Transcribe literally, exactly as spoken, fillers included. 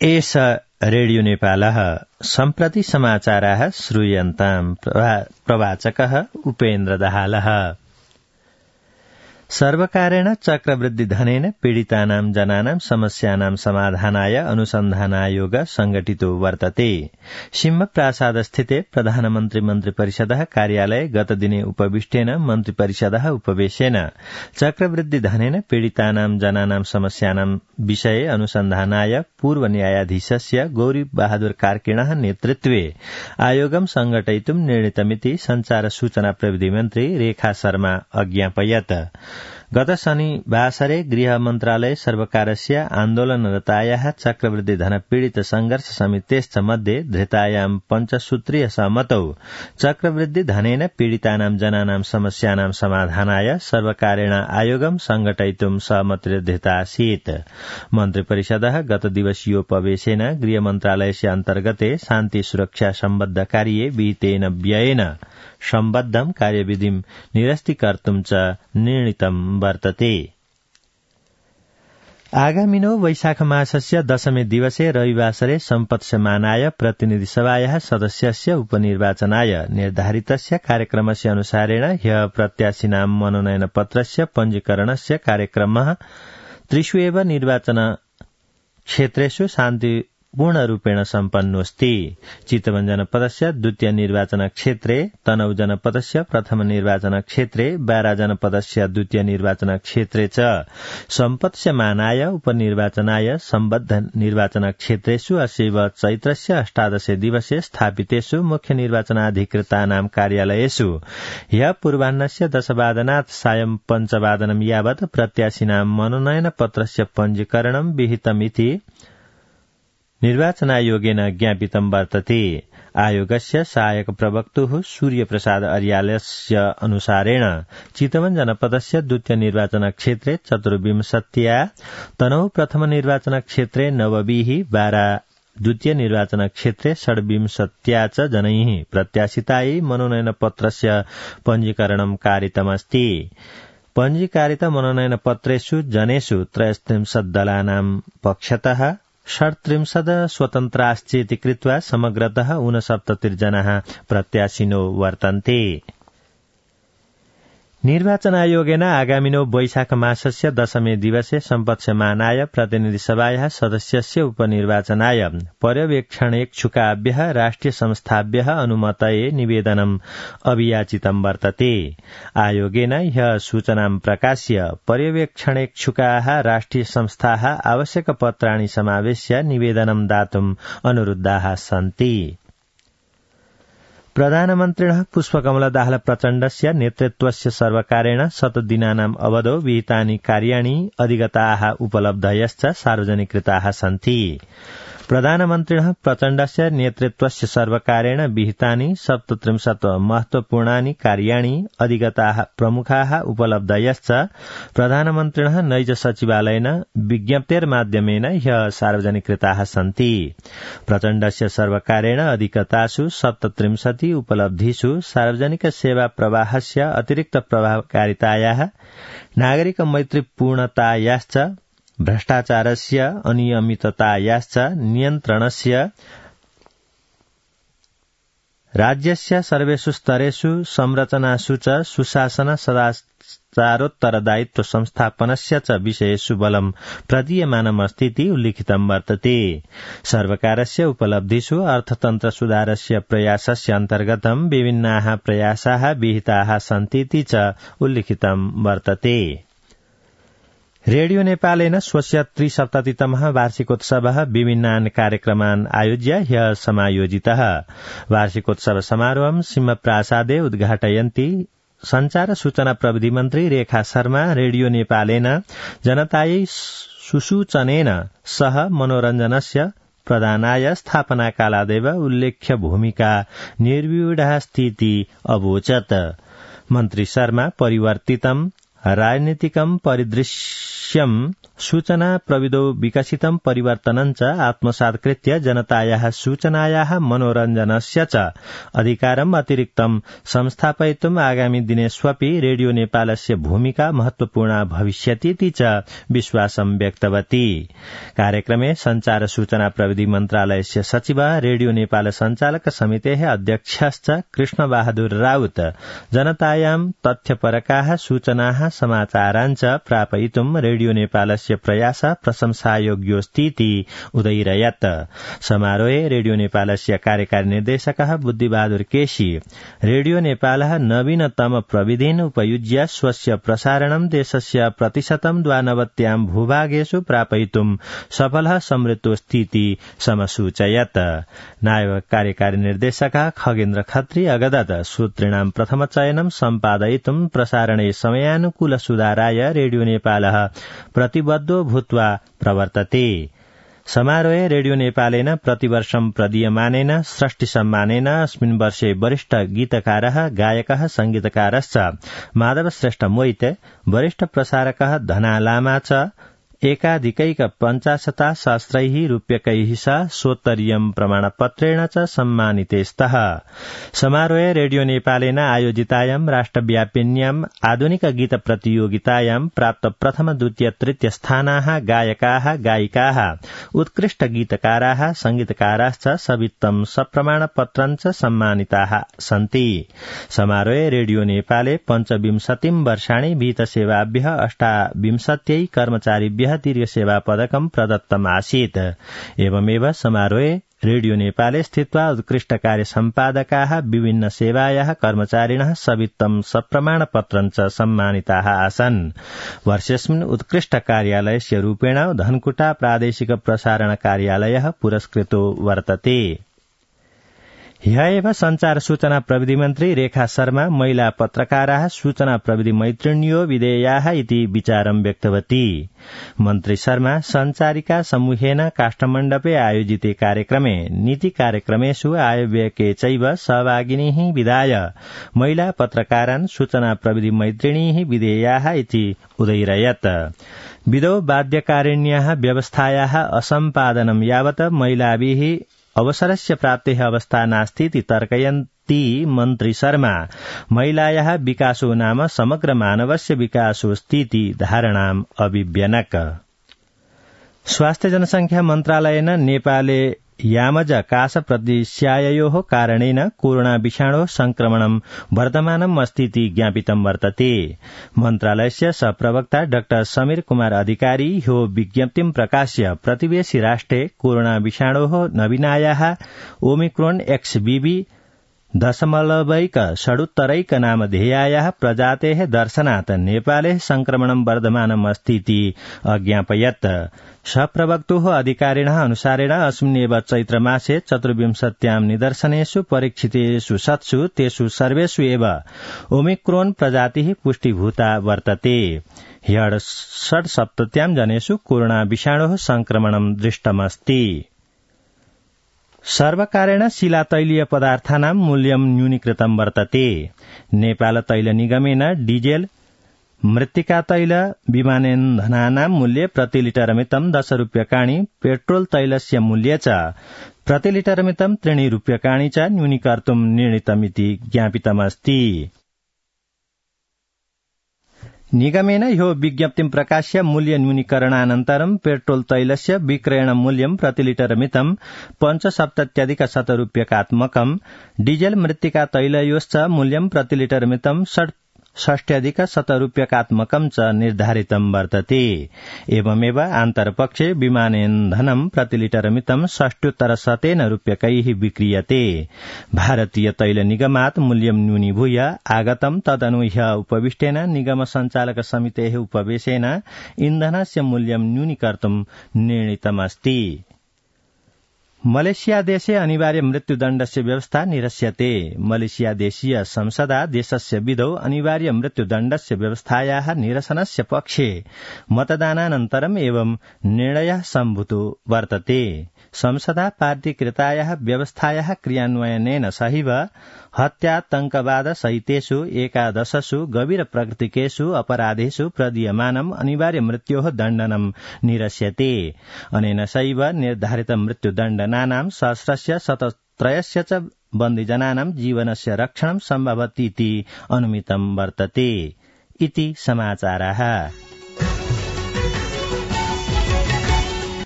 एष रेडियो नेपालः सम्प्रति समाचाराः श्रूयन्ताम् प्रवाचकः उपेन्द्र दाहालः। सर्वकारेण चक्रवृद्धि धनेन पीडितानां जनानां समस्यानां समाधानाय अनुसन्धानायोग संघटितो वर्तते। सिंहप्रासादस्थिते प्रधानमन्त्री मन्त्रिपरिषदः कार्यालये गतदिने उपविष्टेन मन्त्रिपरिषदः उपवेशेन चक्रवृद्धि धनेन पीडितानां जनानां समस्यानां विषये अनुसन्धानाय पूर्व न्यायाधीशस्य गौरी बहादुर कार्किणः नेतृत्वे आयोगं संघटयितुं निर्णीतमिति संचार सूचना प्रविधि मन्त्री रेखा शर्मा अज्ञापयत्। गत शनिवासरे गृह मन्त्रालय सर्वकारस्य आन्दोलनरतायाः चक्रवृद्धि धन पीड़ित संघर्ष समितेश्च मध्ये धृतायां पञ्चसूत्रीय सहमतौ चक्रवृद्धि धनेन पीडितानां जनानां समस्यानां समाधानाय सर्वकारेण आयोगं संघटयितुं सहमतिर्धृता आसीत्। मन्त्रिपरिषदः गत दिवसीयोपवेशेन गृह मन्त्रालयस्य अन्तर्गते शान्ति सुरक्षा सम्बद्ध कार्ये विहितेन व्ययेन सम्बद्धं कार्यविधिं निरस्तीकर्तुं च निर्णीतं वर्तते। आगामिनो वैशाख मासस्य दशमे दिवसे रविवासरे सम्पत्स्यमानाय प्रतिनिधि सभायाः सदस्यस्य उपनिर्वाचनाय निर्धारितस्य कार्यक्रमस्य अनुसारेण ह्यः प्रत्याशिनां मनोनयन पत्रस्य पञ्जीकरणस्य कार्यक्रमः त्रिषु एव निर्वाचन क्षेत्रेषु शान्ति पूर्णरूपेण सम्पन्नोऽस्ति। चितवन जनपदस्य द्वितीय निर्वाचन क्षेत्रे, तनहु जनपदस्य प्रथम निर्वाचन क्षेत्रे, बारा जनपदस्य द्वितीय निर्वाचन क्षेत्रे च सम्पत्स्यमानाय उपनिर्वाचनाय सम्बद्ध निर्वाचन क्षेत्रेषु अस्यैव चैत्रस्य अष्टादशे दिवसे स्थापितेषु मुख्य निर्वाचनाधिकृतानां कार्यालयेषु ह्यः पूर्वाह्नस्य दशवादनात् सायं पञ्चवादनं यावत् प्रत्याशिनां मनोनयन पत्रस्य पञ्जीकरणं विहितमिति निर्वाचनायोगेन ज्ञापितं वर्तते। आयोगस्य सहायक प्रवक्तुः सूर्यप्रसाद अर्यालस्य अनुसारेण चितवन जनपदस्य द्वितीय निर्वाचन क्षेत्रे चतुर्विंशत्या, तनहु प्रथम निर्वाचन क्षेत्रे नवभिः, बारा द्वितीय निर्वाचन क्षेत्रे षड्विंशत्या च जनैः प्रत्याशितायै मनोनयन पत्रस्य पञ्जीकरणं कारितमस्ति। पञ्जीकारित मनोनयन पत्रेषु जनेषु त्रयस्त्रिंशत् दलानां पक्षतः षट्त्रिंशत् स्वतन्त्राश्चेति कृत्वा समग्रतः ऊनसप्ततिर्जनाः प्रत्याशिनो वर्तन्ते। निर्वाचनायोगेन आगामिनो वैशाख मासस्य दशमे दिवसे सम्पत्स्यमानाय प्रतिनिधि सभायाः सदस्यस्य उपनिर्वाचनाय पर्यवेक्षणेच्छुकाभ्यः राष्ट्रिय संस्थाभ्यः अनुमतये निवेदनम् अभियाचितं वर्तते। आयोगेन ह्यः सूचनां प्रकाश्य पर्यवेक्षणेच्छुकाः राष्ट्रिय संस्थाः आवश्यकपत्राणि समावेश्य निवेदनं दातुम् अनुरुद्धाः सन्ति। प्रधानमन्त्रिणः पुष्पकमल दाहाल प्रचण्डस्य नेतृत्वस्य सर्वकारेण शतदिनानाम् अवधौ विहितानि कार्याणि अधिगताः उपलब्धयश्च सार्वजनिकृताः सन्ति। प्रधानमन्त्रिणः प्रचण्डस्य नेतृत्वस्य सर्वकारेण विहितानि सप्तत्रिंशत् महत्वपूर्णानि कार्याणि अधिगताः प्रमुखाः उपलब्धयश्च प्रधानमन्त्रिणः नैज सचिवालयेन विज्ञप्तेर्माध्यमेन ह्यः सार्वजनिकृताः सन्ति। प्रचण्डस्य सर्वकारेण अधिगतासु सप्तत्रिंशति उपलब्धिषु सार्वजनिक सेवा प्रवाहस्य अतिरिक्त प्रभावकारितायाः, नागरिक मैत्रीपूर्णतायाश्च, भ्रष्टाचारस्य अनियमिततायाश्च नियन्त्रणस्य, राज्यस्य सर्वेषु स्तरेषु संरचनासु च सुशासन सदाचारोत्तरदायित्व संस्थापनस्य च विषयेषु बलं प्रदीयमानमस्तीति उल्लिखितं वर्तते। सर्वकारस्य उपलब्धिषु अर्थतन्त्र सुधारस्य प्रयासस्य अन्तर्गतं विभिन्नाः प्रयासाः विहिताः सन्तीति च उल्लिखितं वर्तते। रेडियो नेपालेन स्वस्य त्रिसप्ततितमः वार्षिकोत्सवः विभिन्नान् कार्यक्रमान् आयोज्य ह्यः समायोजितः। वार्षिकोत्सव समारोहं सिंहप्रासादे उद्घाटयन्ती संचार सूचना प्रविधि मन्त्री रेखा शर्मा रेडियो नेपालेन जनतायै सुसूचनेन सह मनोरञ्जनस्य प्रदानाय स्थापनाकालादेव उल्लेख्य भूमिका निर्व्यूढास्तीति अवोचत्। मन्त्री शर्मा परिवर्तितं राजनीतिकं परिदृश्यं सूचना प्रविधौ विकसितं परिवर्तनं च आत्मसात्कृत्य जनतायाः सूचनायाः मनोरञ्जनस्य च अधिकारम् अतिरिक्तं संस्थापयितुम् आगामि दिनेष्वपि रेडियो नेपालस्य भूमिका महत्वपूर्णा भविष्यतीति च विश्वासं व्यक्तवती। कार्यक्रमे संचार सूचना प्रविधि मन्त्रालयस्य सचिव रेडियो नेपाल सञ्चालक समितेः अध्यक्षश्च कृष्णबहादुर राउत जनतायां तथ्यपरकाः सूचनाः समाचारान् च प्रापयितुम् रेडियो नेपालस्य प्रयास प्रशंसायोग्योऽस्तीति उदैरयत्। समारोहे रेडियो नेपालस्य कार्यकारी निर्देशकः बुद्धिबहादुर केशी रेडियो नेपालः नवीनतम प्रविधीन् उपयुज्य स्वस्य प्रसारणं देशस्य प्रतिशतं द्वानवत्यां भूभागेषु प्रापयितुं सफलः समृद्धोऽस्तीति समसूचयत्। नायक कार्यकारी निर्देशकः खगेन्द्र खत्री अगदत सूत्रिणां प्रथमचयनं सम्पादयितुं प्रसारणे समयानुकूल सुधाराय रेडियो नेपालः प्रतिबद्धो भूत्वा प्रवर्तते। समारोहे रेडियो नेपालेन प्रतिवर्षं प्रदीयमानेन षष्टि सम्मानेन अस्मिन् वर्षे वरिष्ठ गीतकारः गायकः संगीतकारश्च माधव श्रेष्ठ मोहित वरिष्ठ प्रसारकः धना लामा च एकाधिकैक पञ्चाशता सहस्रैः रूप्यकैः सह सोत्तरीयं प्रमाणपत्रेण च सम्मानिते स्तः। समारोहे रेडियो नेपालेन आयोजितायां राष्ट्रव्यापिन्याम् आधुनिक गीत प्रतियोगितायां प्राप्त प्रथम द्वितीय तृतीय स्थानाः गायकाः गायिकाः उत्कृष्ट गीतकाराः संगीतकाराश्च सवित्तं सप्रमाणपत्रं च सम्मानिताः सन्ति। समारोहे रेडियो नेपाले पञ्चविंशतिं वर्षाणि विहितसेवाभ्यः अष्टाविंशत्यै कर्मचारिभ्यः दीर्घ सेवा पदकं प्रदत्तम् आसीत्। एवमेव समारोहे रेडियो नेपाले स्थित्वा उत्कृष्ट कार्य सम्पादकाः विभिन्न सेवायाः कर्मचारिणः सवित्तं सप्रमाणपत्रं च सम्मानिताः आसन्। वर्षेऽस्मिन् उत्कृष्ट कार्यालयस्य रूपेण धनकुटा प्रादेशिक प्रसारण कार्यालयः पुरस्कृतो वर्तते। ह्यः एव संचार सूचना प्रविधि मन्त्री रेखा शर्मा महिला पत्रकाराः सूचना प्रविधि मैत्रिण्यो विधेयाः इति विचारं व्यक्तवती। मन्त्री शर्मा संचारिका समूहेन काष्ठमण्डपे आयोजिते कार्यक्रमे नीति कार्यक्रमेषु आयव्ययके चैव सहभागिनीः विधाय महिला पत्रकारान् सूचना प्रविधि मैत्रिणीः विधेयाः इति उदैरयत्। विधौ बाध्यकारिण्याः व्यवस्थायाः असम्पादनं यावत् महिलाभिः अवसरस्य प्राप्तेः अवस्था नास्तीति तर्कयन्ती मन्त्री शर्मा महिलायाः विकासो नाम समग्र मानवस्य विकासोऽस्तीति धारणाम् अभिव्यनक। स्वास्थ्य जनसंख्या मन्त्रालयेन नेपाले यामज कास प्रदेश्यायोः कारणेन कोरोना विषाणोः संक्रमणं वर्धमानम् अस्तीति ज्ञापितं वर्तते। मन्त्रालयस्य सहप्रवक्ता डाक्टर समीर कुमार अधिकारी ह्यो विज्ञप्तिं प्रकाश्य प्रतिवेशि राष्ट्रे कोरोना विषाणोः नवीनायाः ओमिक्रोन एक्सबीवी दशमलवैक षडुत्तरैक नामधेयायाः प्रजातेः दर्शनात् नेपाले संक्रमणं वर्धमानम् अस्तीति अज्ञापयत्। सहप्रवक्तुः अधिकारिणः अनुसारेण अस्मिन्नेव चैत्रमासे चतुर्विंशत्यां निदर्शनेषु परीक्षितेषु शतसु तेषु सर्वेषु एव ओमिक्रोन प्रजातिः पुष्टिभूता वर्तते। ह्यः षड्सप्तत्यां जनेषु कोरोना विषाणोः संक्रमणं दृष्टमस्ति। सर्वकारेण शिलातैलीय पदार्थानां मूल्यं न्यूनीकृतं वर्तते। नेपाल तैल निगमेन डीजेल मृत्तिका तैल विमानेन्धनानां मूल्ये प्रति लिटर मितं दश रूप्यकाणि पेट्रोल तैलस्य मूल्ये च प्रति लिटर मितं त्रीणि रूप्यकाणि च न्यूनीकर्तुं निर्णीतमिति ज्ञापितमस्ति। निगमेन ह्यो विज्ञप्तिं प्रकाश्य मूल्य न्यूनीकरणानन्तरं पेट्रोल तैलस्य विक्रयण मूल्यं प्रति लिटर मितं पञ्चसप्तत्यधिक शतरूप्यकात्मकं डीजेल मृत्तिका तैलयोश्च मूल्यं प्रति लिटर मितं षट् षष्ट्यधिक शतरूप्यकात्मकं च निर्धारितं वर्तते। एवमेव आन्तरपक्षे विमानेन्धनं प्रति लिटर मितं षष्ट्युत्तर शतेन रूप्यकैः विक्रीयते। भारतीय तैल निगमात् मूल्यं न्यूनीभूय आगतं तदनु ह्यः उपविष्टेन निगम सञ्चालक समितेः उपवेशेन इन्धनस्य मूल्यं न्यूनीकर्तुं निर्णीतमस्ति। मलेशिया देशे अनिवार्य मृत्युदण्डस्य व्यवस्था निरस्यते। मलेशिया देशीय संसदा देशस्य विधौ अनिवार्य मृत्युदण्डस्य व्यवस्थायाः निरसनस्य पक्षे मतदानानन्तरम् एवं निर्णयः सम्भूतो वर्तते। संसदा पार्टीकृतायाः व्यवस्थायाः क्रियान्वयनेन सहैव हत्यातंकवाद सहितेषु एकादशसु गभीर प्रकृतिकेषु अपराधेषु प्रदीयमानम् अनिवार्य मृत्योः दण्डनं निरस्यते। अनेन सहैव निर्धारित मृत्युदण्डनानां सहस्रस्य शतत्रयस्य च बन्दिजनानां जीवनस्य रक्षणं सम्भवतीति अनुमितं वर्तते। इति समाचाराः।